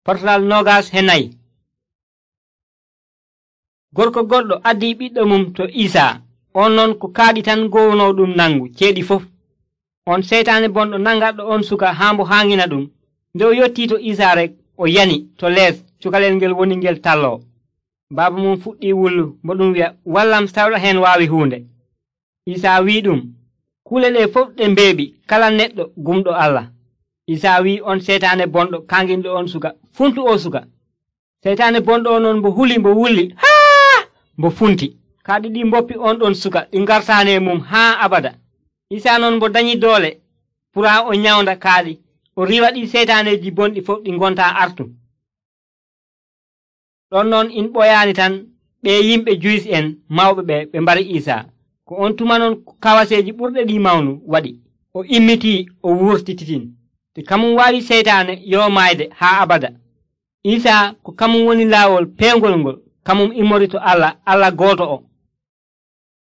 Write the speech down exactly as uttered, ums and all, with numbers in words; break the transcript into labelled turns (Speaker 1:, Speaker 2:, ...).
Speaker 1: Portal nogas he nayi. Gorko goɗɗo addi ɓiɗɗo mum to Isa, on non ko kaaɗi tan gowno ɗum nangu ceeɗi fof. On seytaane bonɗo nangaɗo on suka haambo haangina ɗum. Nde o yotti to Isa rek o yani to lees cukalel ngel woni ngel talloo. Baaba mum fuɗɗi wullu mo ɗum wi'a, wallam sawɗa heen waawi huunde. Isa wi'i ɗum, kuule ɗe fof ɗe mbeeɓi kala neɗɗo gumɗo Allah. Isa wi'i on seytaane bonɗo kanginɗo on suka, funtu o suka. Seytaane bonɗo on non mbo huli mbo wulli haa mbo funti. Kaaɗi ɗi mboppi on ɗon suka ɗi ngartaane mum haa abada. Isa non mbo dañi doole pura o nyawnda kaaɗi o riiwa ɗi seytaaneji bonɗi fof ɗi ngontaa artu. Ɗon noon in ɓoyaani tan ɓe yimɓe Juyis en mawɓe ɓe ɓe mbari Isa, ko on tuma non kawaseeji ɓurɗe ɗi mawnu waɗi. O immitii o wurtititin te kamum waawi seytaane yo maayde haa abada. Isa ko kamum woni laawol peengol ngol, kamum immori to Allah, Allah gooto o.